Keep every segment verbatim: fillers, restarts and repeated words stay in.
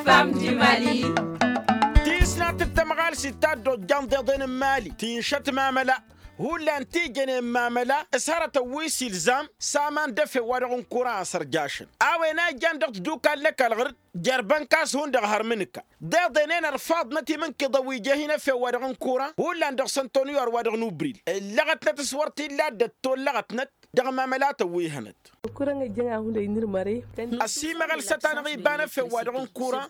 Fam di mali. Tisnat d-tămɣalsit ta dd-ojjan d-iḍen n-imali tinšăt mamăla. Hullan ti jănen mamăla s-hărătăn wi s-ilzam s-aman d-efew-wa-dăɣ n-kura a sărjašăn a-wen a ijjan dăɣ-tadukal n-ăkall ɣur-dd. Jer-bănkas hundăɣ har mǝnǝka d-iḍen-en ărfaḍnăt imǝnkiḍăn wi ija hin-efew-wa-dăɣ n-kura hullan dăɣ-săntoniyu ărwa-dăɣ n-ubril. Ǝllăɣătnăt s-wăr t-illa dd-ăttollăɣătnăt dăɣ-mamălatăn wi hănăt. Ăsimăɣăl s-ătanăɣ iba n-efew-wa-dăɣ n-kura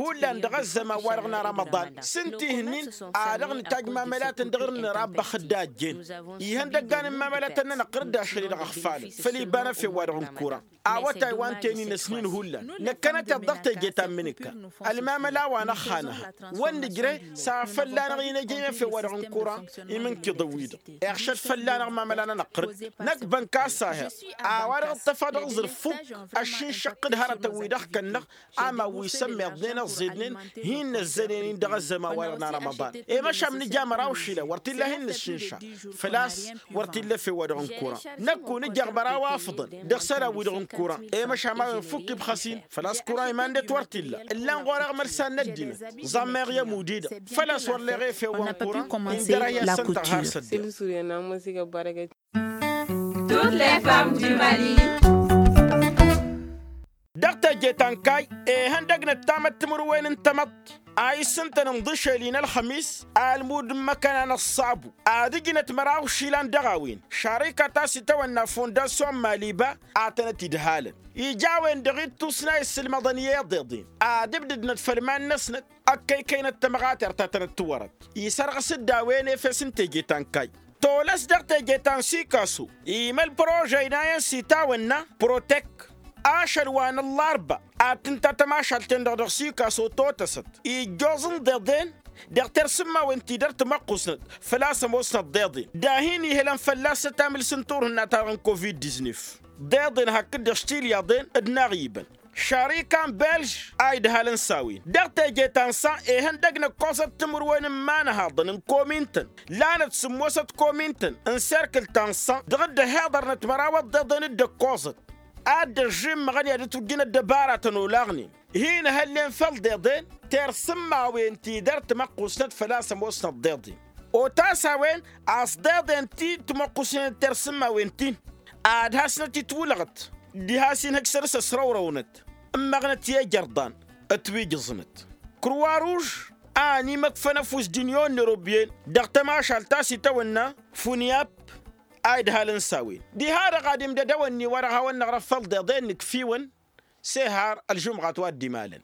hullan dăɣ-ăzzăman-wa-dăɣ n-arămăḍan s-ǝnta ihǝnnin. A dăɣ-nǝtaj mamălatăn dăɣ-irǝnnăr a ăbbăxăt d-a ăjjeen ihăndăggan n-mamălatăn-nănăɣ ɣǝr-dd ašăl-i-dăɣ ăxfalăn făll-iba n-efew-wa-dăɣ n-kura. Awătay wa n-teninăsnin hullan năkkănăteḍ dăɣ-teje ta n-imǝnǝkka. Ălmamăla wa n-ăxxanăha wăr nǝjreh s-ad-fălla-năɣ inăjăy efew-wa-dăɣ n-kura imǝnkiḍăn-wi-dăɣ iɣšăd fălla-năɣ mamăla-nănăɣ ɣǝr-dd. Năkk bănka s-aheḍ a-wa dăɣ-dd-tăfa dăɣ-ẓrǝf fukk ăššinšăɣ-t d-hărătăn-wi-dăɣ kănnăɣ. Ama wi sămmeḍnen ăẓẓidnen hin-năzzănen-in dăɣ-ăzzăman-wa-dăɣ n-arămăḍan. I-măšan nǝja măraw išilan wăr t-illa hin-nǝššǝnša făl-a-s wăr t-illa efew-wa-dăɣ n-kura. Năkk-un ǝjăɣ măraw afǝḍăn dăɣ-isălan-wi-dăɣ n-kura. I-măšan a-wen fukk ibxăs-in făl-a-s kura iman-net wăr t-illa. Ǝllan ɣur-eɣ mălsan n-ăddinăt ẓammăyăɣ i-ămud-i-dăɣ făl-a-s wăr leɣ efew wa n-kura. Indăr-ahi a-s ǝntăɣ har s-ăddiɣ. Dăɣ-teje ta n-kay ihăndăgnăt tamăttimǝrwen n-tamăḍt a issǝntăn ǝnḍǝšel-i n-ălxămis almud n-imăkăna n-ăṣṣabu ad-ǝjnăt măraw išilan dăɣ-a-wen. Šarika ta s-itawănna fondasyon maliba a tănăt-idhalăn ija a-wen-dăɣ ittusna issǝlmăḍăn i-iḍeḍen ad-ǝbdǝdnăt făll-iman-năsnăt. Ăkkăykăynăt tămɣatert ta tănăt-tiwărăt isărɣǝs-dd a-wen efes n-teje ta n-kay. Tolăs dăɣ-teje ta n-sikaso imăl prožăy n-a-wen s-itawănna protek. Ašăl wa n-ăllarba ad-tǝnta tămašalt-en-dăɣ dăɣ-sikaso totăsăt ijjoẓ n-iḍeḍen dăɣ-tersǝmmawen ti dăr-timăqqusnăt făl-a-s ămoosnăt d-iḍen dahin ihălăn fălla-s ătamǝls n-turhǝnna-ta-dăɣ n-covid diznef. D-iḍen hakd-dăɣ š-tilyaḍen d-inaɣ ibăn šarikan belž a idhalăn s-a-wen. Dăɣ-teje ta n-sa ihăndăg n-ǝkkoẓăt timǝrwen n-imanhaḍăn n-komintăn lanăt sǝmmosăt komintăn n-serkǝl ta n-sa dăɣ-dd-ăhiḍărnăt măraw ăḍḍeḍen dd-ǝkkoẓăt ad-dd-ăžžǝmmăɣăn i-ad-dd-tujjǝn ăddăbaratăn olaɣnen hin-hăllen făll-deḍen tersǝmmawen ti dăr-timăqqusnăt făl-a-s ămoosnăt d-iḍen. Otas a-wen a-s d-iḍen ti timăqqusnen d-tersǝmmawen-tin ad-hasnăt-itwǝlăɣăt diha a-s inhăj săr-s ăsrăwrăwnăt ǝmmăɣnăt i-ejărḍan ătwǝjǝẓnăt. Kruwa ruž a ănimăkfăn ăfuss d-inyon n-erobyen dăɣ-tămašalt ta s-itawănna funyap a idhalăn s-a-wen. Diha-dăɣ ad-imdăd ewănni wa dăɣ-hawăn-năɣrăf făll-deḍen nǝkf'-iwăn s-ehar ălžumɣat wa dd-imalăn.